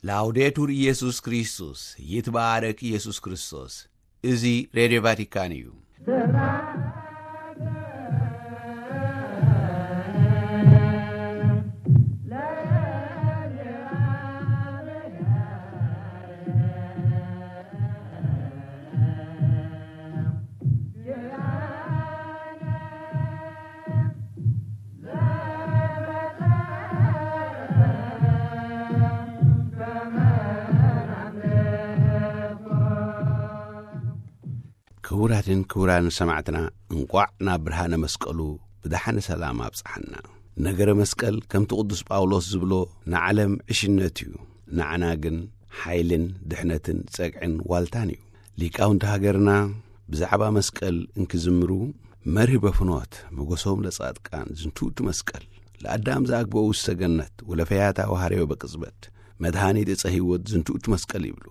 ላውዴቱር ኢየሱስ ክርስቶስ፣ ይትባረክ ኢየሱስ ክርስቶስ። እዚ ሬድዮ ቫቲካን እዩ። ክቡራትን ክቡራን ሰማዕትና፣ እንቋዕ ናብ ብርሃነ መስቀሉ ብደሓነ ሰላም ኣብጽሓና። ነገረ መስቀል ከምቲ ቅዱስ ጳውሎስ ዝብሎ ንዓለም ዕሽነት እዩ፣ ንዓና ግን ሓይልን ድሕነትን ጸግዕን ዋልታን እዩ። ሊቃውንቲ ሃገርና ብዛዕባ መስቀል እንክዝምሩ፣ መርህበ ፍኖት መጎሶም ለጻድቃን ዝንቱእቱ መስቀል፣ ለአዳም ዘአግበኡ ውስተ ገነት ወለፈያታ ወሐረዮ በቅጽበት፣ መድኃኒት ዕፀ ሕይወት ዝንቱእቱ መስቀል ይብሉ።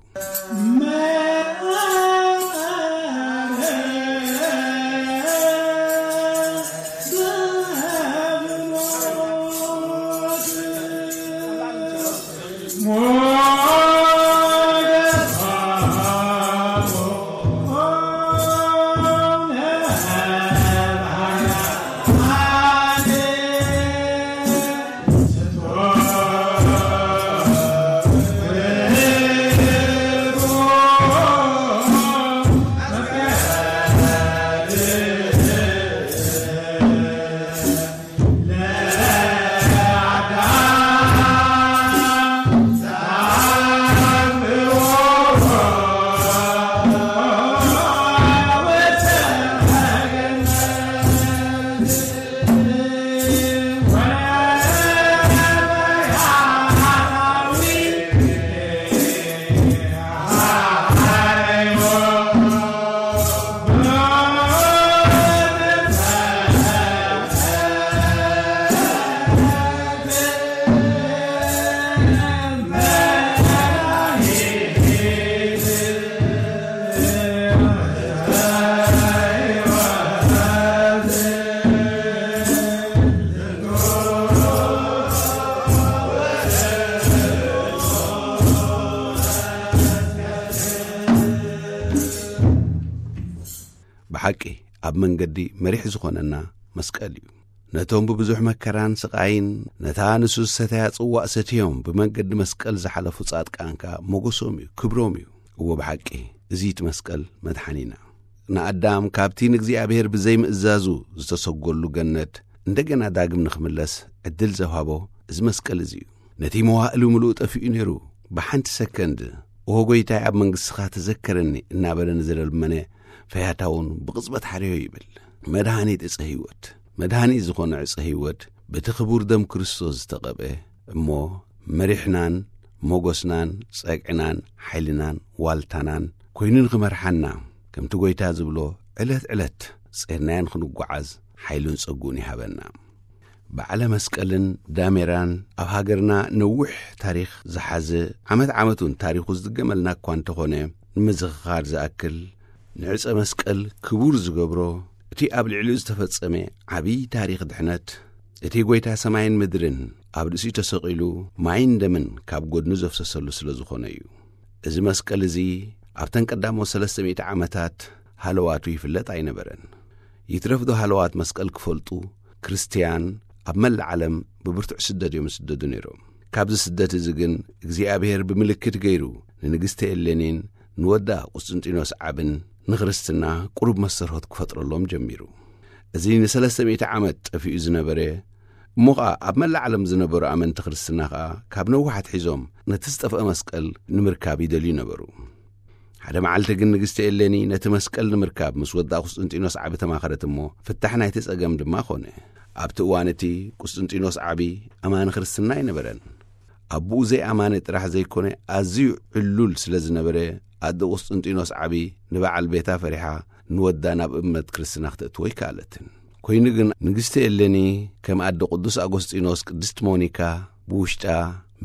ብሓቂ ኣብ መንገዲ መሪሕ ዝኾነና መስቀል እዩ። ነቶም ብብዙሕ መከራን ስቓይን ነታ ንሱ ዝሰተያ ጽዋእ ሰትዮም ብመንገዲ መስቀል ዝሓለፉ ጻድቃን ከኣ ሞገሶም እዩ፣ ክብሮም እዩ። እወ ብሓቂ እዚ እቲ መስቀል መድሓኒና። ንኣዳም ካብቲ ንእግዚኣብሔር ብዘይምእዛዙ ዝተሰጎሉ ገነት እንደገና ዳግም ንኽምለስ ዕድል ዘውሃቦ እዚ መስቀል እዚ እዩ። ነቲ መዋእሉ ምሉእ ጠፊኡ ነይሩ። ብሓንቲ ሰከንድ "ኦ ጎይታይ ኣብ መንግሥትኻ ተዘከረኒ" እናበለ ንዝለመነ ፈያታውን ብቕጽበት ሓረዮ ይብል። መድኃኒት ዕፀ ሕይወት፣ መድኃኒት ዝኾነ ዕፀ ሕይወት በቲ ክቡር ደም ክርስቶስ ዝተቐብአ እሞ መሪሕናን ሞገስናን ጸግዕናን ሓይልናን ዋልታናን ኮይኑ ንኽመርሓና ከምቲ ጎይታ ዝብሎ ዕለት ዕለት ጼርናዮ ንኽንጓዓዝ ሓይሉን ጸግኡን ይሃበና። በዓለ መስቀልን ዳሜራን ኣብ ሃገርና ነዊሕ ታሪኽ ዝሓዘ ዓመት ዓመት እውን ታሪኹ ዝድገመልና እኳ እንተኾነ ንምዝኽኻር ዝኣክል ንዕፀ መስቀል ክቡር ዝገብሮ እቲ ኣብ ልዕሊኡ ዝተፈጸመ ዓብዪ ታሪኽ ድሕነት እቲ ጎይታ ሰማይን ምድርን ኣብ ርእሲኡ ተሰቒሉ ማይን ደምን ካብ ጎድኑ ዘፍሰሰሉ ስለ ዝኾነ እዩ። እዚ መስቀል እዚ ኣብተን ቀዳሞት ሰለስተ ሚእቲ ዓመታት ሃለዋቱ ይፍለጥ ኣይነበረን። ይትረፍዶ ሃለዋት መስቀል ክፈልጡ ክርስትያን ኣብ መላእ ዓለም ብብርቱዕ ስደት እዮም ዝስደዱ ነይሮም። ካብዚ ስደት እዚ ግን እግዚኣብሔር ብምልክት ገይሩ ንንግስቲ ኤሌኒን ንወዳ ቁስጥንጢኖስ ዓብን ንክርስትና ቁሩብ መስተርሆት ክፈጥረሎም ጀሚሩ። እዚ ንሰለስተ ሚእቲ ዓመት ጠፊኡ ዝነበረ እሞ ኸኣ ኣብ መላእ ዓለም ዝነበሩ ኣመንቲ ክርስትና ኸኣ ካብ ነዋሕ ኣትሒዞም ነቲ ዝጠፍአ መስቀል ንምርካብ ይደልዩ ነበሩ። ሓደ መዓልቲ ግን ንግስቲ ኤሌኒ ነቲ መስቀል ንምርካብ ምስ ወዳ ቁስጥንጢኖስ ዓቢ ተማኸረት እሞ ፍታሕ ናይቲ ጸገም ድማ ኾነ። ኣብቲ እዋን እቲ ቁስጥንጢኖስ ዓቢ ኣማኒ ክርስትና ኣይነበረን። ኣቦኡ ዘይኣማኒ ጥራሕ ዘይኮነ ኣዝዩ ዕሉል ስለ ዝነበረ ኣደ ቁስጥንጢኖስ ዓቢ ንበዓል ቤታ ፈሪሓ ንወዳ ናብ እምነት ክርስትና ክተእትዎ ኣይከኣለትን። ኮይኑ ግን ንግስቲ ኤሌኒ ከም ኣደ ቅዱስ ኣጎስጢኖስ ቅድስቲ ሞኒካ ብውሽጣ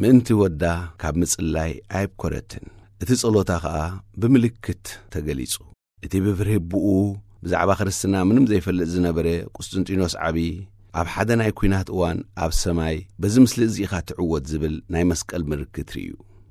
ምእንቲ ወዳ ካብ ምጽላይ ኣይብኮረትን። እቲ ጸሎታ ኸኣ ብምልክት ተገሊጹ። እቲ ብፍርሂ ኣቦኡ ብዛዕባ ክርስትና ምንም ዘይፈልጥ ዝነበረ ቁስጥንጢኖስ ዓቢ ኣብ ሓደ ናይ ኲናት እዋን ኣብ ሰማይ በዚ ምስሊ እዚ ኢኻ ትዕወት ዝብል ናይ መስቀል ምልክት ርእዩ።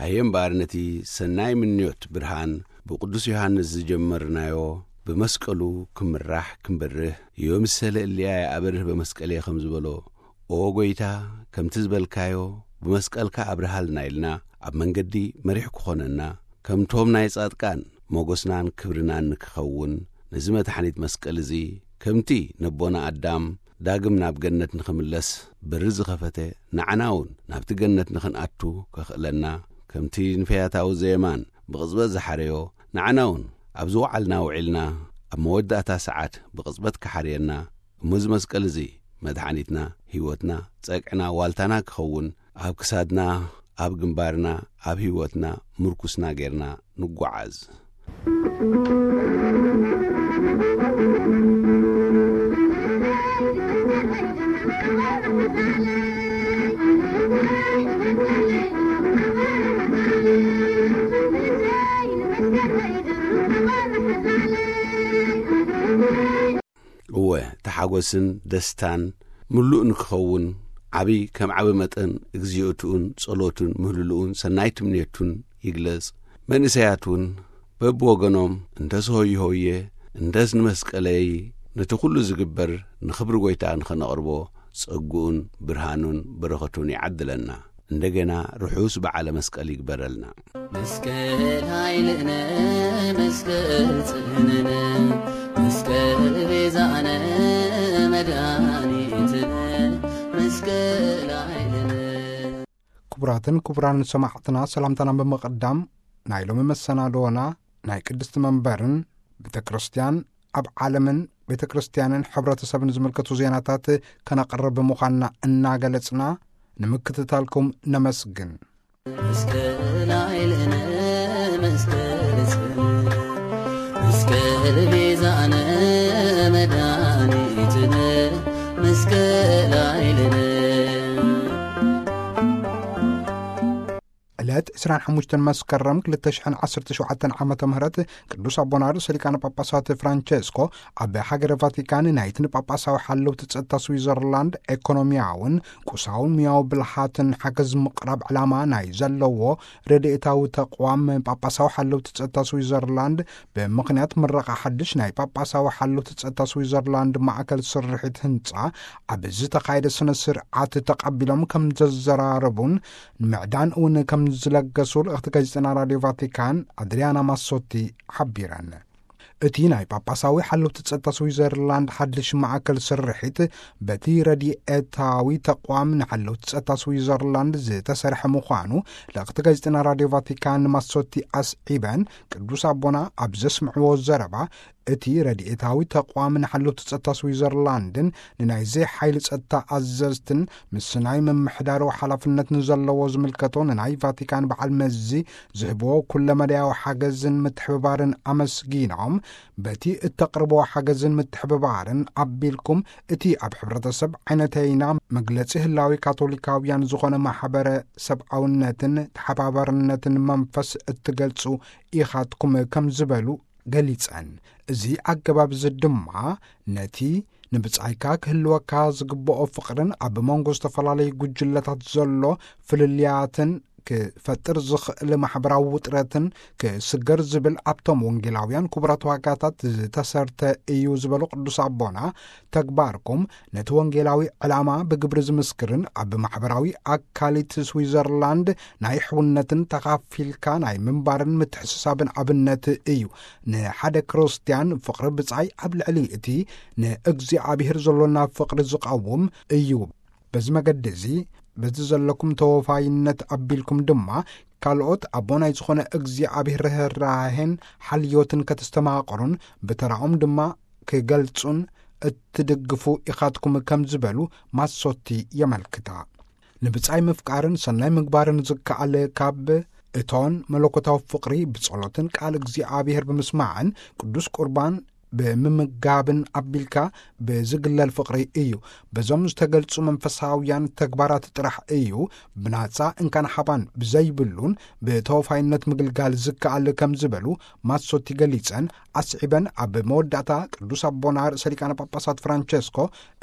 ሃየ እምበኣር ነቲ ሰናይ ምንዮት ብርሃን ብቅዱስ ዮሃንስ ዝጀመርናዮ ብመስቀሉ ክምራሕ ክንበርህ፣ ዮምሰለ እልያየ ኣበርህ በመስቀልየ ከም ዝበሎ፣ ኦ ጐይታ፣ ከምቲ ዝበልካዮ ብመስቀልካ ኣብርሃልና ኢልና ኣብ መንገዲ መሪሕ ክኾነና፣ ከምቶም ናይ ጻድቃን ሞገስናን ክብርናን ንክኸውን፣ ነዚ መድሓኒት መስቀል እዚ ከምቲ ነቦና ኣዳም ዳግም ናብ ገነት ንኽምለስ በሪ ዝኸፈተ፣ ንዓና እውን ናብቲ ገነት ንኽንኣቱ ከኽእለና፣ ከምቲ ንፈያታዊ ዘየማን ብቕጽበት ዝሓረዮ፣ ንዓና እውን ኣብ ዝወዓልና ውዒልና ኣብ መወዳእታ ሰዓት ብቕጽበት ክሓርየና፣ እሞ እዚ መስቀል እዚ መድሓኒትና፣ ህይወትና፣ ጸግዕና፣ ዋልታና ክኸውን፣ ኣብ ክሳድና፣ ኣብ ግንባርና፣ ኣብ ህይወትና ምርኩስና ጌርና ንጓዓዝ። ሓጎስን ደስታን ምሉእ ንክኸውን ዓቢ ከም ዓቢ መጠን እግዚኣብሄር'ውን ጸሎቱን ምህልልኡን ሰናይ ትምኔቱን ይግለጽ። መንእሰያት እውን በብወገኖም እንተስ ሆየ ሆየ እንተስ ንመስቀለይ ነቲ ኩሉ ዝግበር ንኽብሪ ጐይታ ንኸነቕርቦ ጸግኡን ብርሃኑን በረኸቱን ይዓድለና። እንደገና ርሑስ በዓለ መስቀል ይግበረልና። መስቀል ኃይልነ መስቀል ጽንዕነ መስቀል ቤዛነ መድኃኒትነ መስቀል ኃይልነ። ክቡራትን ክቡራን ሰማዕትና ሰላምታና ብምቕዳም ናይ ሎሚ መሰናዶና ናይ ቅድስቲ መንበርን ቤተ ክርስቲያን ኣብ ዓለምን ቤተ ክርስቲያንን ሕብረተሰብን ዝምልከቱ ዜናታት ከነቕርብ ምዃንና እናገለጽና ንምክትታልኩም ነመስግን። መስቀል ኃይልነ መስቀል ጽንዕነ መስቀል ቤዛነ መድኃኒትነ መስቀል ኃይልነ። ዕለት ዕስራን ሓሙሽተን መስከረም ክልተ ሽሕን ዓሰርተ ሸውዓተን ዓመተ ምህረት ቅዱስ ኣቦና ርእሰ ሊቃነ ጳጳሳት ፍራንቸስኮ ኣብ ሃገረ ቫቲካን ናይቲ ንጳጳሳዊ ሓለውቲ ጸጥታ ስዊዘርላንድ ኤኮኖሚያውን ቁሳውን ሙያዊ ብልሓትን ሓገዝ ምቕራብ ዕላማ ናይ ዘለዎ ረድኤታዊ ተቋም ጳጳሳዊ ሓለውቲ ጸጥታ ስዊዘርላንድ ብምኽንያት ምረቓ ሓድሽ ናይ ጳጳሳዊ ሓለውቲ ጸጥታ ስዊዘርላንድ ማእከል ስርሒት ህንጻ ኣብ ዝተኻየደ ስነ ስርዓት ተቐቢሎም ከም ዘዘራረቡን ንምዕዳን እውን ከም ዝለገሱ ልእኽቲ ጋዜጠና ራድዮ ቫቲካን ኣድሪያና ማሶቲ ሓቢረን። እቲ ናይ ጳጳሳዊ ሓለውቲ ጸጥታ ስዊዘርላንድ ሓድሽ ማእከል ስርሒት በቲ ረድኤታዊ ተቋም ንሓለውቲ ጸጥታ ስዊዘርላንድ ዝተሰርሐ ምዃኑ ልእኽቲ ጋዜጠና ራድዮ ቫቲካን ማሶቲ ኣስዒበን፣ ቅዱስ ኣቦና ኣብ ዘስምዕዎ ዘረባ እቲ ረድኤታዊ ተቋም ንሓለውቲ ጸጥታ ስዊዘርላንድን ንናይዚ ሓይሊ ጸጥታ ኣዘዝትን ምስ ናይ ምምሕዳሩ ሓላፍነት ንዘለዎ ዝምልከቶ ንናይ ቫቲካን በዓል መዚ ዝህብዎ ኩለመዳያዊ ሓገዝን ምትሕብባርን ኣመስጊኖም፣ በቲ እተቕርብዎ ሓገዝን ምትሕብባርን ኣቢልኩም እቲ ኣብ ሕብረተሰብ ዓይነተይና መግለጺ ህላዊ ካቶሊካውያን ዝኾነ ማሕበረ ሰብኣውነትን ተሓባባርነትን መንፈስ እትገልጹ ኢኻትኩም ከም ዝበሉ ገሊጸን። እዚ ኣገባብ እዚ ድማ ነቲ ንብጻይካ ክህልወካ ዝግብኦ ፍቕርን ኣብ መንጎ ዝተፈላለዩ ጉጅለታት ዘሎ ፍልልያትን ክፈጥር ዝኽእል ማሕበራዊ ውጥረትን ክስገር ዝብል ኣብቶም ወንጌላውያን ክቡራት ዋጋታት ዝተሰርተ እዩ ዝበሉ ቅዱስ ኣቦና፣ ተግባርኩም ነቲ ወንጌላዊ ዕላማ ብግብሪ ዝምስክርን ኣብ ማሕበራዊ ኣካሊት ስዊዘርላንድ ናይ ሕውነትን ተኻፊልካ ናይ ምንባርን ምትሕስሳብን ኣብነት እዩ። ንሓደ ክርስትያን ፍቕሪ ብጻይ ኣብ ልዕሊ እቲ ንእግዚኣብሔር ዘሎና ፍቕሪ ዝቐውም እዩ። በዚ መገዲ እዚ፣ በዚ ዘለኩም ተወፋይነት ኣቢልኩም ድማ፣ ካልኦት ኣቦ ናይ ዝኾነ እግዚኣብሔር ርህራሄን ሓልዮትን ከተስተማቕሩን ብተራኦም ድማ ክገልጹን እትድግፉ ኢኻትኩም ከም ዝበሉ ማሶቲ የመልክታ። ንብጻይ ምፍቃርን ሰናይ ምግባርን ዝከኣል ካብ እቶን መለኮታዊ ፍቕሪ ብጸሎትን ቃል እግዚኣብሔር ብምስማዕን ቅዱስ ቁርባን ብምምጋብን ኣቢልካ ብዝግለል ፍቕሪ እዩ። በዞም ዝተገልጹ መንፈሳውያን ተግባራት ጥራሕ እዩ ብናጻ እንካን ሓባን ብዘይብሉን ብተወፋይነት ምግልጋል ዝከኣል ከም ዝበሉ ማሶቲ ገሊጸን ኣስዒበን፣ ኣብ መወዳእታ ቅዱስ ኣቦና ርእሰ ሊቃነ ጳጳሳት ፍራንቸስኮ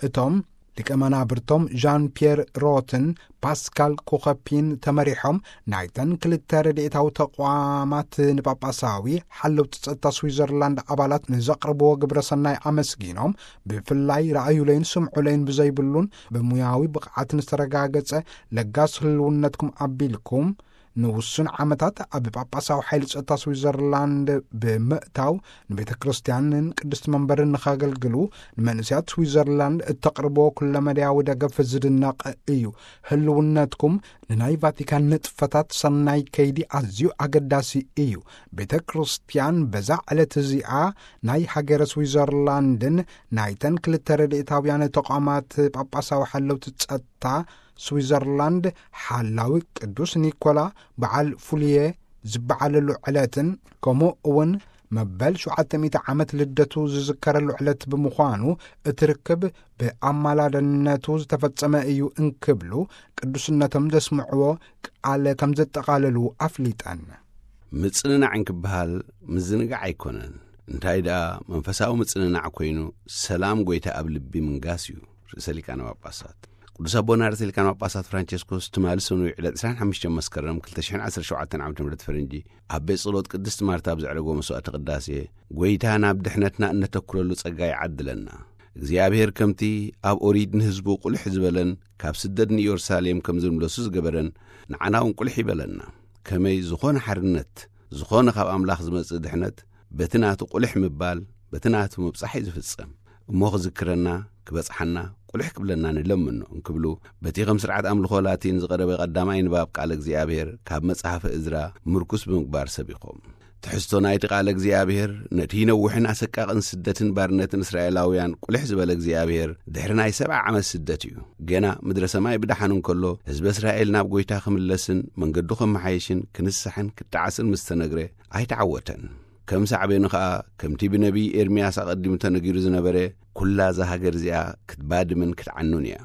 እቶም ሊቀ መናብርቶም ዣን ፒየር ሮትን ፓስካል ኮኸፒን ተመሪሖም ናይተን ክልተ ረድኤታዊ ተቋማት ንጳጳሳዊ ሓለውቲ ጸጥታ ስዊዘርላንድ ኣባላት ንዘቕርብዎ ግብረ ሰናይ ኣመስጊኖም፣ ብፍላይ ረኣዩለይን ስምዑለይን ብዘይብሉን ብሙያዊ ብቕዓትን ዝተረጋገጸ ለጋስ ህልውነትኩም ኣቢልኩም ንውሱን ዓመታት ኣብ ጳጳሳዊ ሓይሊ ጸጥታ ስዊዘርላንድ ብምእታው ንቤተ ክርስቲያንን ቅድስቲ መንበርን ንኸገልግሉ ንመንእሰያት ስዊዘርላንድ እተቕርቦ ኩለመዳያዊ ደገፍ ዝድነቕ እዩ። ህልውነትኩም ንናይ ቫቲካን ንጥፈታት ሰናይ ከይዲ ኣዝዩ ኣገዳሲ እዩ። ቤተ ክርስቲያን በዛ ዕለት እዚኣ ናይ ሃገረ ስዊዘርላንድን ናይተን ክልተ ረድኤታውያን ተቋማት ጳጳሳዊ ሓለውቲ ጸጥታ ስዊዘርላንድ ሓላዊ ቅዱስ ኒኮላ በዓል ፉልየ ዝበዓለሉ ዕለትን ከምኡ እውን መበል ሸውዓተ ሚእቲ ዓመት ልደቱ ዝዝከረሉ ዕለት ብምዃኑ እቲ ርክብ ብኣማላድነቱ ዝተፈጸመ እዩ እንክብሉ ቅዱስነቶም ዘስምዕዎ ቃል ከም ዘጠቓለሉ ኣፍሊጠን። ምጽንናዕ እንክበሃል ምዝንጋዕ ኣይኮነን። እንታይ ደኣ መንፈሳዊ ምጽንናዕ ኮይኑ፣ ሰላም ጐይታ ኣብ ልቢ ምንጋስ እዩ። ርእሰ ሊቃነ ጳጳሳት ቅዱስ ኣቦና ርእሰ ሊቃነ ጳጳሳት ፍራንቸስኮስ ትማሊ ሰኑይ ዕለት ዕስራን ሓሙሽተን መስከረም ክልተ ሽሕን ዓሰርተ ሸውዓተን ዓመተ ምህረት ፈረንጂ፣ ኣብ ቤት ጸሎት ቅድስት ማርታ ኣብ ዘዕረጎ መስዋዕተ ቅዳሴ፣ ጐይታ ናብ ድሕነትና እነተኩረሉ ጸጋ ይዓድለና። እግዚኣብሔር ከምቲ ኣብ ኦሪት ንህዝቡ ቁልሕ ዝበለን ካብ ስደት ንኢየሩሳሌም ከም ዝምለሱ ዝገበረን፣ ንዓና እውን ቁልሕ ይበለና። ከመይ ዝኾነ ሓርነት፣ ዝኾነ ካብ ኣምላኽ ዝመጽእ ድሕነት በቲ ናቱ ቁልሕ ምባል፣ በቲ ናቱ ምብጻሕ እዩ ዝፍጸም። እሞ ክዝክረና፣ ክበጽሓና፣ ቁልሕ ክብለና ንለምኖ እንክብሉ፣ በቲ ከም ስርዓት ኣምልኾ ላቲን ዝቐረበ ቀዳማይ ንባብ ቃል እግዚኣብሔር ካብ መጽሓፈ እዝራ ምርኩስ ብምግባር ሰቢኾም። ትሕዝቶ ናይቲ ቃል እግዚኣብሔር፣ ነቲ ነዊሕን ኣሰቃቕን ስደትን ባርነትን እስራኤላውያን ቁልሕ ዝበለ እግዚኣብሔር፣ ድሕሪ ናይ ሰብዓ ዓመት ስደት እዩ። ገና ምድረ ሰማይ ብደሓን እንከሎ፣ ህዝበ እስራኤል ናብ ጐይታ ክምለስን መንገዱ ከመሓየሽን ክንስሕን ክጠዓስን ምስ ተነግረ፣ ኣይተዓወተን። ከም ሳዕቤኑ ኸኣ፣ ከምቲ ብነቢይ ኤርምያስ ኣቐዲሙ ተነጊሩ ዝነበረ፣ "ኵላ እዛ ሃገር እዚኣ ክትባድምን ክትዓኑን እያ።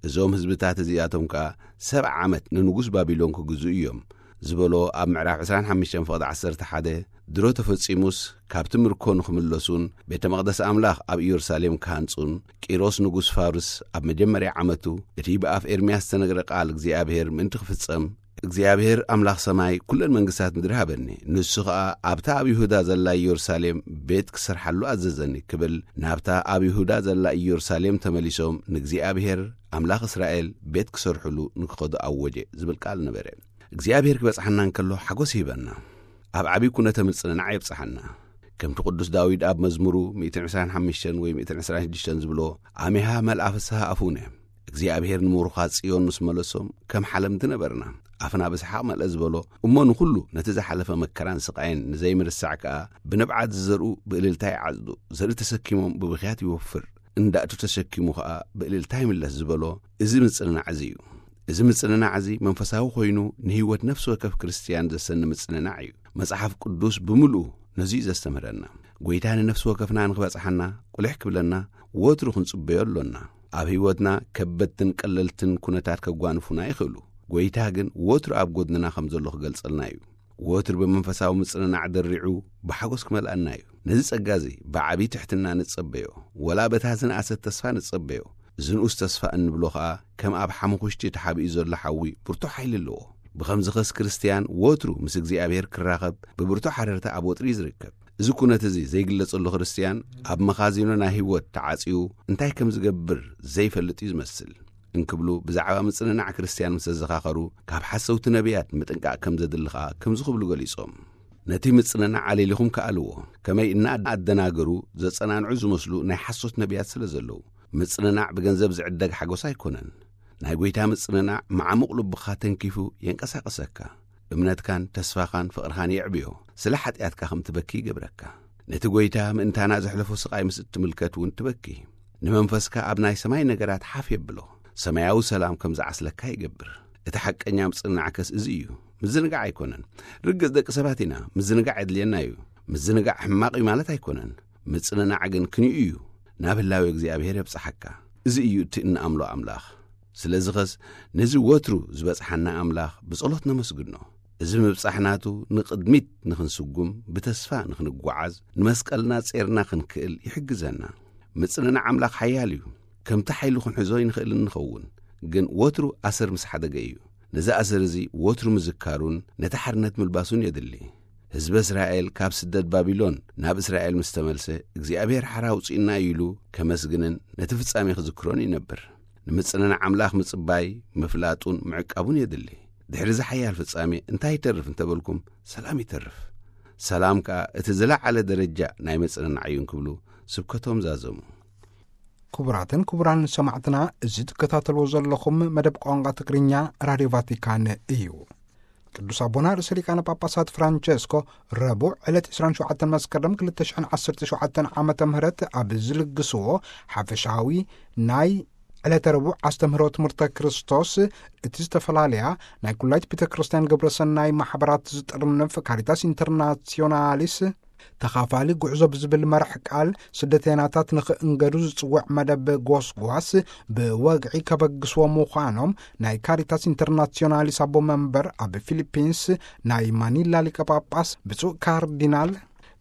እዞም ህዝብታት እዚኣቶም ከኣ ሰብዓ ዓመት ንንጉስ ባቢሎን ክግዝኡ እዮም" ዝበሎ ኣብ ምዕራፍ ዕስራን ሓሙሽተን ፍቕዲ ዓሰርተ ሓደ፣ ድሮ ተፈጺሙስ፣ ካብቲ ምርኮ ንኽምለሱን ቤተ መቕደስ ኣምላኽ ኣብ ኢየሩሳሌም ክሃንጹን፣ ቂሮስ ንጉስ ፋርስ ኣብ መጀመርያ ዓመቱ፣ እቲ ብኣፍ ኤርምያስ ዝተነግረ ቃል እግዚኣብሔር ምእንቲ ክፍጸም፣ "እግዚኣብሔር ኣምላኽ ሰማይ ኵለን መንግስታት ምድሪ ሃበኒ፣ ንሱ ኸኣ ኣብታ ኣብ ይሁዳ ዘላ ኢየሩሳሌም ቤት ክሰርሓሉ ኣዘዘኒ" ክብል፣ ናብታ ኣብ ይሁዳ ዘላ ኢየሩሳሌም ተመሊሶም ንእግዚኣብሔር ኣምላኽ እስራኤል ቤት ክሰርሕሉ ንክኸዱ ኣወጀ ዝብል ቃል ነበረ። እግዚኣብሔር ክበጽሓና እንከሎ ሓጎስ ይህበና። ኣብ ዓቢ ኩነተ ምጽንናዕ የብጽሓና። ከምቲ ቅዱስ ዳዊት ኣብ መዝሙሩ ሚእትን ዕስራን ሓሙሽተን ወይ ሚእትን ዕስራን ሽዱሽተን ዝብሎ፣ "ኣሜሃ መልኣ ፍስሃ ኣፉነ"፣ እግዚኣብሔር ንምሩኻት ጽዮን ምስ መለሶም፣ ከም ሓለምቲ ነበርና። ኣፍና ብሰሓቕ መልአ ዝበሎ፣ እሞ ንኹሉ ነቲ ዝሓለፈ መከራን ስቓይን ንዘይምርሳዕ ከኣ፣ ብንብዓት ዝዘርኡ ብእልልታ ይዓጽዱ፣ ዘርኢ ተሰኪሞም ብብኽያት ይወፍር፣ እንዳእቱ ተሰኪሙ ከኣ ብእልልታ ይምለስ ዝበሎ፣ እዚ ምጽንናዕ እዚ እዩ። እዚ ምጽንናዕ እዚ መንፈሳዊ ኮይኑ፣ ንህይወት ነፍሲ ወከፍ ክርስትያን ዘሰኒ ምጽንናዕ እዩ። መጽሓፍ ቅዱስ ብምልኡ ነዚ እዩ ዘስተምህረና። ጐይታ ንነፍሲ ወከፍና ንኽበጽሓና፣ ቁልሕ ክብለና፣ ወትሩ ክንጽበዮ ኣሎና። ኣብ ህይወትና ከበድትን ቀለልትን ኩነታት ከጓንፉና ይኽእሉ። ጐይታ ግን ወትሩ ኣብ ጐድንና ከም ዘሎ ክገልጸልና እዩ። ወትሩ ብመንፈሳዊ ምጽንናዕ ደሪዑ ብሓጎስ ክመልኣና እዩ። ነዚ ጸጋ እዚ ብዓቢ ትሕትና ንጸበዮ፣ ወላ በታ ዝነኣሰት ተስፋ ንጸበዮ። እዚ ንኡስ ተስፋ እንብሎ ኸኣ ከም ኣብ ሓሙኹሽቲ ተሓቢኡ ዘሎ ሓዊ ብርቱዕ ሓይሊ ኣለዎ። ብኸምዚኸስ ክርስትያን ወትሩ ምስ እግዚኣብሔር ክራኸብ ብብርቱዕ ሓረርታ ኣብ ወጥሪ እዩ ዝርከብ። እዚ ኩነት እዚ ዘይግለጸሉ ክርስትያን ኣብ መኻዚኖ ናይ ህይወት ተዓጽዩ እንታይ ከም ዝገብር ዘይፈልጥ እዩ ዝመስል። እንክብሉ ብዛዕባ ምጽንናዕ ክርስትያን ምስ ዘዘኻኸሩ፣ ካብ ሓሰውቲ ነቢያት ምጥንቃቕ ከም ዘድሊ ኸኣ ከምዚ ክብሉ ገሊጾም። ነቲ ምጽንናዕ ኣለሊኹም ከኣልዎ፣ ከመይ እናኣደናገሩ ዘጸናንዑ ዝመስሉ ናይ ሓሶት ነቢያት ስለ ዘለዉ። ምጽንናዕ ብገንዘብ ዝዕደግ ሓጎስ ኣይኮነን። ናይ ጐይታ ምጽንናዕ መዓሙቕ ልብኻ ተንኪፉ የንቀሳቕሰካ። እምነትካን ተስፋኻን ፍቕርኻን የዕብዮ። ስለ ሓጢኣትካ ከም ትበኪ ይገብረካ። ነቲ ጐይታ ምእንታና ዘሕለፎ ስቓይ ምስ እትምልከት እውን ትበኪ። ንመንፈስካ ኣብ ናይ ሰማይ ነገራት ሓፍ የብሎ። ሰማያዊ ሰላም ከም ዝዓስለካ ይገብር። እቲ ሓቀኛ ምጽንናዕከስ እዚ እዩ። ምዝንጋዕ ኣይኮነን። ርግጽ ደቂ ሰባት ኢና፣ ምዝንጋዕ የድልየና እዩ። ምዝንጋዕ ሕማቕ እዩ ማለት ኣይኮነን። ምጽንናዕ ግን ክንዩ እዩ። ናብ ህላዌ እግዚኣብሔር የብጽሓካ። እዚ እዩ እቲ እንኣምሎ ኣምላኽ። ስለዚኸስ ነዚ ወትሩ ዝበጽሓና ኣምላኽ ብጸሎት ነመስግኖ። እዚ ምብጻሕ ናቱ ንቕድሚት ንኽንስጉም፣ ብተስፋ ንኽንጓዓዝ፣ ንመስቀልና ጼርና ክንክእል ይሕግዘና። ምጽንናዕ ኣምላኽ ሓያል እዩ። ከምቲ ሓይሉ ክንሕዞ ኣይንኽእልን ንኸውን፣ ግን ወትሩ ኣሰር ምስ ሓደገ እዩ። ነዚ ኣሰር እዚ ወትሩ ምዝካሩን ነቲ ሓርነት ምልባሱን የድሊ። ህዝበ እስራኤል ካብ ስደት ባቢሎን ናብ እስራኤል ምስ ተመልሰ፣ እግዚኣብሔር ሓራ ኣውጺእና እዩ ኢሉ ከመስግንን ነቲ ፍጻሜ ክዝክሮን ይነብር። ንምጽንናዕ ኣምላኽ ምጽባይ፣ ምፍላጡን ምዕቃቡን የድሊ። ድሕሪ እዚ ሓያል ፍጻሜ እንታይ ይተርፍ እንተበልኩም፣ ሰላም ይተርፍ። ሰላም ከኣ እቲ ዝለዓለ ደረጃ ናይ ምጽንናዕ እዩ እንክብሉ ስብከቶም ዛዘሙ። ክቡራትን ክቡራን ሰማዕትና፣ እዚ ትከታተልዎ ዘለኹም መደብ ቋንቋ ትግርኛ ራድዮ ቫቲካን እዩ። ቅዱስ ኣቦና ርእሰ ሊቃነ ጳጳሳት ፍራንቸስኮ ረቡዕ ዕለት ዕስራን ሸውዓተን መስከረም ክልተ ሽሕን ዓሰርተ ሸውዓተን ዓመተ ምህረት ኣብ ዝልግስዎ ሓፈሻዊ ናይ ዕለተ ረቡዕ ኣስተምህሮ ትምህርተ ክርስቶስ፣ እቲ ዝተፈላለያ ናይ ኩላይት ቤተ ክርስቲያን ግብረ ሰናይ ማሕበራት ዝጥርንፍ ካሪታስ ኢንተርናሲዮናሊስ ተኻፋሊ ጉዕዞ ብዝብል መራሕ ቃል ስደተይናታት ንኽእንገዱ ዝጽውዕ መደብ ጎስጓስ ብወግዒ ከበግስዎ ምዃኖም ናይ ካሪታስ ኢንተርናሲዮናሊስ ኣቦ መንበር ኣብ ፊሊፒንስ ናይ ማኒላ ሊቀ ጳጳስ ብፁዕ ካርዲናል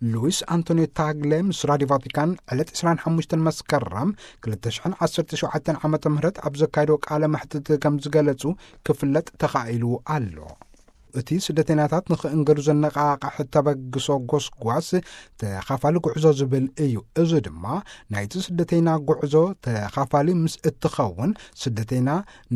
ሉዊስ ኣንቶኒዮ ታግለ ምስ ራዲዮ ቫቲካን ዕለት ዕስራን ሓሙሽተን መስከረም ክልተ ሽሕን ዓሰርተ ሸውዓተን ዓመተ ምህረት ኣብ ዘካየዶ ቃለ መሕትት ከም ዝገለጹ ክፍለጥ ተኻኢሉ ኣሎ። እቲ ስደተኛታት ንኽእንገዱ ዘነቓቕሕ ተበግሶ ጎስጓስ ተኻፋሊ ጉዕዞ ዝብል እዩ። እዚ ድማ ናይቲ ስደተይና ጉዕዞ ተኻፋሊ ምስ እትኸውን፣ ስደተይና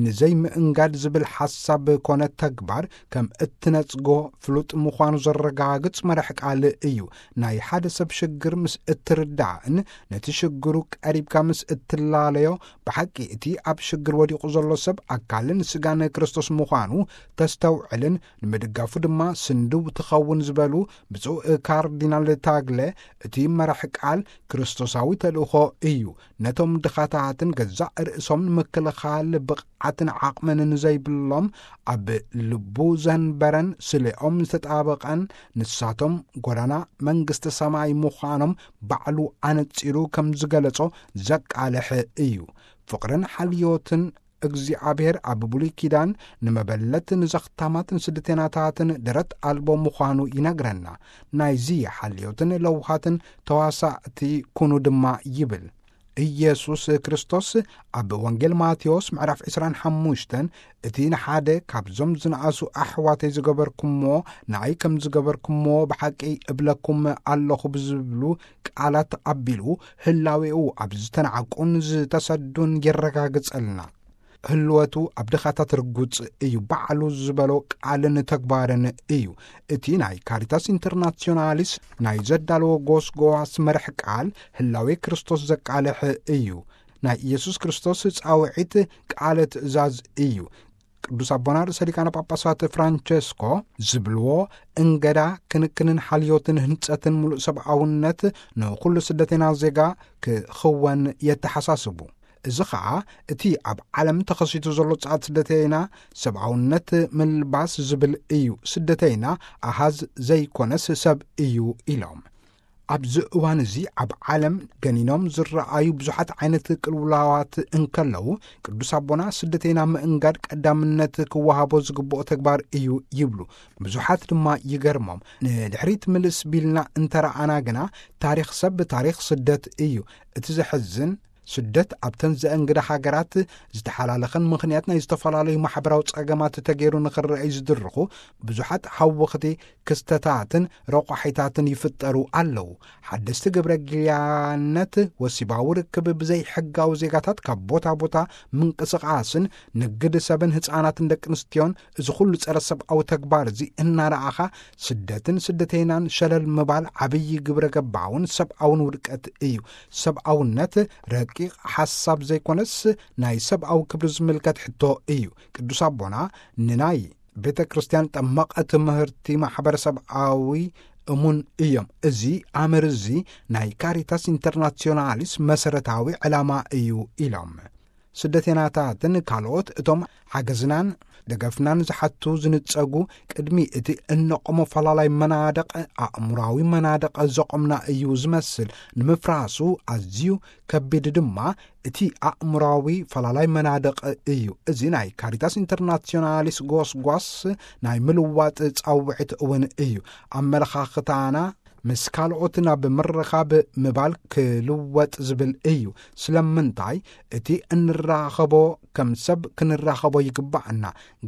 ንዘይምእንጋድ ዝብል ሓሳብ ኮነ ተግባር ከም እትነጽጎ ፍሉጥ ምዃኑ ዘረጋግጽ መራሕ ቃል እዩ። ናይ ሓደ ሰብ ሽግር ምስ እትርዳእን ነቲ ሽግሩ ቀሪብካ ምስ እትላለዮ፣ ብሓቂ እቲ ኣብ ሽግር ወዲቑ ዘሎ ሰብ ኣካልን ስጋን ክርስቶስ ምዃኑ ተስተውዕልን ንምድጋፉ ድማ ስንድው ትኸውን ዝበሉ ብፁዕ ካርዲናል ታግለ፣ እቲ መራሕ ቃል ክርስቶሳዊ ተልእኾ እዩ። ነቶም ድኻታትን ገዛእ ርእሶም ንምክልኻል ብቕዓትን ዓቕምን ንዘይብሎም፣ ኣብ ልቡ ዘንበረን ስሌኦም ዝተጣበቐን፣ ንሳቶም ጎዳና መንግስቲ ሰማይ ምዃኖም ባዕሉ ኣነጺሩ ከም ዝገለጾ ዘቃልሕ እዩ። ፍቕርን ሓልዮትን እግዚኣብሔር ኣብ ብሉይ ኪዳን ንመበለት፣ ንዘኽታማትን ስደተናታትን ደረት ኣልቦ ምዃኑ ይነግረና። ናይዚ ሓልዮትን ለውሃትን ተዋሳእቲ ኩኑ ድማ ይብል። ኢየሱስ ክርስቶስ ኣብ ወንጌል ማቴዎስ ምዕራፍ ዕስራን ሓሙሽተን፣ "እቲ ንሓደ ካብዞም ዝነኣሱ ኣሕዋተይ ዝገበርኩምዎ፣ ንኣይ ከም ዝገበርኩምዎ ብሓቂ እብለኩም ኣለኹ" ብዝብሉ ቃላት ኣቢሉ፣ ህላዌኡ ኣብ ዝተናዕቁን ዝተሰዱን የረጋግጸልና። ህልወቱ ኣብ ድኻታት ርጉጽ እዩ። ባዕሉ ዝበሎ ቃልን ተግባርን እዩ። እቲ ናይ ካሪታስ ኢንተርናሲዮናሊስ ናይ ዘዳለዎ ጎስጓስ መርሕ ቃል ህላዌ ክርስቶስ ዘቃልሕ እዩ። ናይ ኢየሱስ ክርስቶስ ጻውዒት ቃለ ትእዛዝ እዩ። ቅዱስ ኣቦና ርእሰ ሊቃነ ጳጳሳት ፍራንቸስኮ ዝብልዎ፣ እንገዳ ክንክንን ሓልዮትን ህንጸትን ምሉእ ሰብኣውነት ንኹሉ ስደተና ዜጋ ክኽወን የተሓሳስቡ። እዚ ኸኣ እቲ ኣብ ዓለም ተኸሲቱ ዘሎ ጸዓት ስደተና ሰብኣውነት ምልባስ ዝብል እዩ። ስደተና ኣሃዝ ዘይኮነስ ሰብ እዩ ኢሎም። ኣብዚ እዋን እዚ ኣብ ዓለም ገኒኖም ዝረኣዩ ብዙሓት ዓይነት ቅልውላዋት እንከለዉ፣ ቅዱስ ኣቦና ስደተና ምእንጋድ ቀዳምነት ክወሃቦ ዝግብኦ ተግባር እዩ ይብሉ። ብዙሓት ድማ ይገርሞም። ንድሕሪት ምልስ ቢልና እንተረኣና ግና፣ ታሪኽ ሰብ ታሪኽ ስደት እዩ። እቲ ዘሕዝን፣ ስደት ኣብተን ዘእንግዳ ሃገራት ዝተሓላለኸን ምኽንያት ናይ ዝተፈላለዩ ማሕበራዊ ጸገማት ተገይሩ ንኽረኣዩ ዝድርኹ ብዙሓት ሃወኽቲ ክስተታትን ረቋሒታትን ይፍጠሩ ኣለዉ። ሓደስቲ ግብረ ጊልያነት፣ ወሲባዊ ርክብ ብዘይ ሕጋዊ ዜጋታት ካብ ቦታ ቦታ ምንቅስቓስን ንግድ ሰብን ህፃናትን ደቂ ኣንስትዮን፣ እዚ ኩሉ ጸረ ሰብኣዊ ተግባር እዚ እናረኣኻ፣ ስደትን ስደተይናን ሸለል ምባል ዓብዪ ግብረ ገባውን ሰብኣውን ውድቀት እዩ። ሰብኣውነት ረቂቕ ሓሳብ ዘይኮነስ፣ ናይ ሰብኣዊ ክብሪ ዝምልከት ሕቶ እዩ። ቅዱስ ኣቦና ንናይ ቤተ ክርስቲያን ጠመቐ ትምህርቲ ማሕበረሰብኣዊ እሙን እዮም። እዚ ኣምር እዚ ናይ ካሪታስ ኢንተርናሲዮናሊስ መሰረታዊ ዕላማ እዩ ኢሎም። ስደተናታትን ካልኦት እቶም ሓገዝናን ደገፍናን ዝሓቱ ዝንጸጉ፣ ቅድሚ እቲ እነቆሞ ፈላላይ መናድቕ፣ ኣእምራዊ መናድቕ ዘቆምና እዩ ዝመስል። ንምፍራሱ ኣዝዩ ከቢድ ድማ እቲ ኣእምራዊ ፈላላይ መናድቕ እዩ። እዚ ናይ ካሪታስ ኢንተርናሲዮናሊስ ጎስጓስ ናይ ምልዋጥ ጻውዒት እውን እዩ። ኣመለኻኽታና ምስ ካልኦት ናብ ምርኻብ ምባል ክልወጥ ዝብል እዩ። ስለምንታይ? እቲ እንራኸቦ ከም ሰብ ክንራኸቦ ይግባኣና።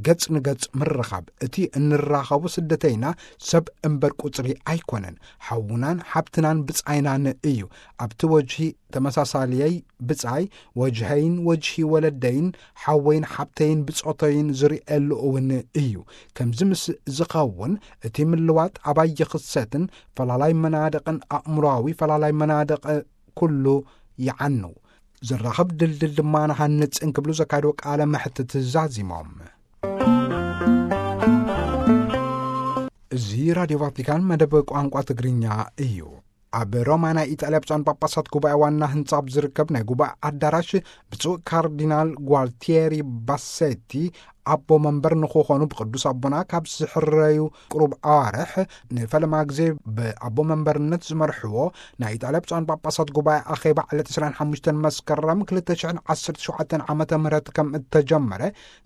ገጽ ንገጽ ምርኻብ፣ እቲ እንራኸቦ ስደተይና ሰብ እምበር ቁጽሪ ኣይኮነን። ሓውናን ሓብትናን ብጻይናን እዩ። ኣብቲ ወጅሂ ተመሳሳልየይ ብጻይ፣ ወጅሀይን ወጅሂ ወለደይን፣ ሓወይን ሓብተይን ብጾተይን ዝርእየሉ እውን እዩ። ከምዚ ምስ ዝኸውን፣ እቲ ምልዋጥ ኣባይ ይኽሰትን ፈላላይ መናድቕን ኣእምሮኣዊ ፈላላይ መናድቕ ኩሉ ይዓኑ። ዝራኸብ ድልድል ድማ ንሃንጽ እንክብሉ ዘካየድዎ ቃለ መሕትት ዛዚሞም። እዚ ራድዮ ቫቲካን መደብ ቋንቋ ትግርኛ እዩ። ኣብ ሮማ ናይ ኢጣልያ ብፁዓን ጳጳሳት ጉባኤ ዋና ህንጻ ኣብ ዝርከብ ናይ ጉባኤ ኣዳራሽ ብፁዕ ካርዲናል ጓልቲየሪ ባሴቲ ኣቦ መንበር ንክኾኑ ብቅዱስ ኣቦና ካብ ዝሕረዩ ቅሩብ ኣዋርሕ ንፈለማ ግዜ ብኣቦ መንበርነት ዝመርሕዎ ናይ ኢጣልያ ብፁዓን ጳጳሳት ጉባኤ ኣኼባ ዕለት ዕስራን ሓሙሽተን መስከረም ክልተ ሽሕን ዓሰርተ ሸውዓተን ዓመተ ምህረት ከም እተጀመረ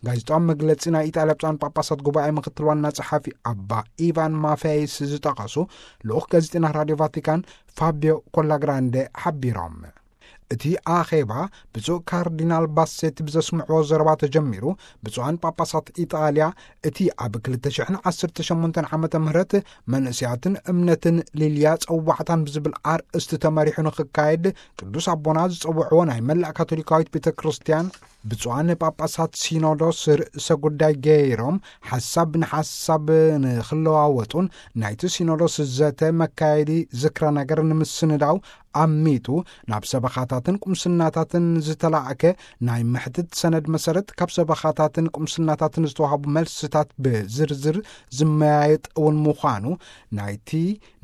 ጋዜጣዊ መግለጺ ናይ ኢጣልያ ብፁዓን ጳጳሳት ጉባኤ ምክትል ዋና ጸሓፊ ኣባ ኢቫን ማፌይስ ዝጠቐሱ ልኡኽ ጋዜጠና ራድዮ ቫቲካን ፋቢዮ ኮላግራንዴ ሓቢሮም። እቲ ኣኼባ ብፁዕ ካርዲናል ባሴቲ ብዘስምዕዎ ዘረባ ተጀሚሩ፣ ብፁዓን ጳጳሳት ኢጣልያ እቲ ኣብ ክልተ ሽሕን ዓሰርተ ሸሞንተን ዓመተ ምህረት መንእስያትን እምነትን ሊልያ ጸዋዕታን ብዝብል ኣርእስቲ ተመሪሑ ንኽካየድ ቅዱስ ኣቦና ዝጸውዕዎ ናይ መላእ ካቶሊካዊት ቤተ ክርስቲያን ብፁዓን ጳጳሳት ሲኖዶስ ርእሰ ጉዳይ ገይሮም ሓሳብ ንሓሳብ ንኽለዋወጡን ናይቲ ሲኖዶስ ዘተ መካየዲ ዝክረ ነገር ንምስንዳው ኣሚቱ ናብ ሰበኻታትን ቁምስናታትን ዝተላእከ ናይ ምሕትት ሰነድ መሰረት ካብ ሰበኻታትን ቁምስናታትን ዝተዋህቡ መልስታት ብዝርዝር ዝመያየጥ እውን ምዃኑ ናይቲ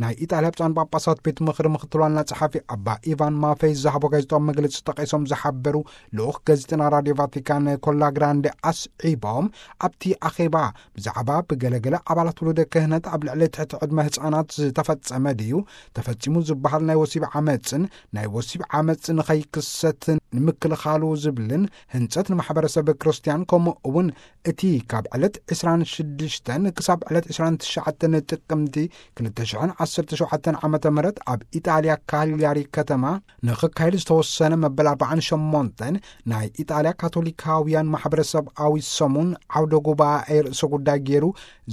ናይ ኢጣልያ ብፁዓን ጳጳሳት ቤት ምኽሪ ምክትል ዋና ጸሓፊ ኣባ ኢቫን ማፌይ ዝሃቦ ጋዜጣዊ መግለጺ ጠቒሶም ዝሓበሩ ልኡኽ ጋዜጠና ራድዮ ቫቲካን ኮላ ግራንዴ ኣስዒቦም፣ ኣብቲ ኣኼባ ብዛዕባ ብገለገለ ኣባላት ውሉደ ክህነት ኣብ ልዕሊ ትሕቲ ዕድመ ህጻናት ዝተፈጸመ ድዩ ተፈጺሙ ዝበሃል ናይ ወሲብ ዓመጽን ናይ ወሲብ ዓመጽ ንኸይክሰት ንምክልኻሉ ዝብልን ህንጸት ንማሕበረሰብ ክርስትያን ከምኡ እውን እቲ ካብ ዕለት ዕስራን ሽዱሽተን ክሳብ ዕለት ዕስራን ትሽዓተን ጥቅምቲ ክልተ ሽሕን ዓሰርተ ሸውዓተን ዓመተ ምህረት ኣብ ኢጣልያ ካልያሪ ከተማ ንኽካየድ ዝተወሰነ መበል ኣርባዓን ሸሞንተን ናይ ኢጣልያ ካቶሊካውያን ማሕበረሰብኣዊ ሰሙን ዓውደ ጉባኤ ርእሰ ጉዳይ ገይሩ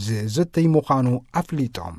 ዝዝትይ ምዃኑ ኣፍሊጦም።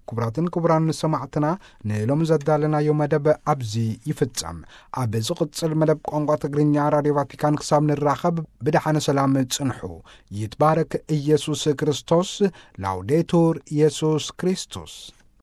ክቡራትን ክቡራን ሰማዕትና፣ ንሎሚ ዘዳለናዮ መደብ ኣብዚ ይፍጸም። ኣብ ዝቕጽል መደብ ቋንቋ ትግርኛ ራድዮ ቫቲካን ክሳብ ንራኸብ ብደሓነ ሰላም ጽንሑ። ይትባረክ ኢየሱስ ክርስቶስ። ላውዴቱር ኢየሱስ ክርስቶስ።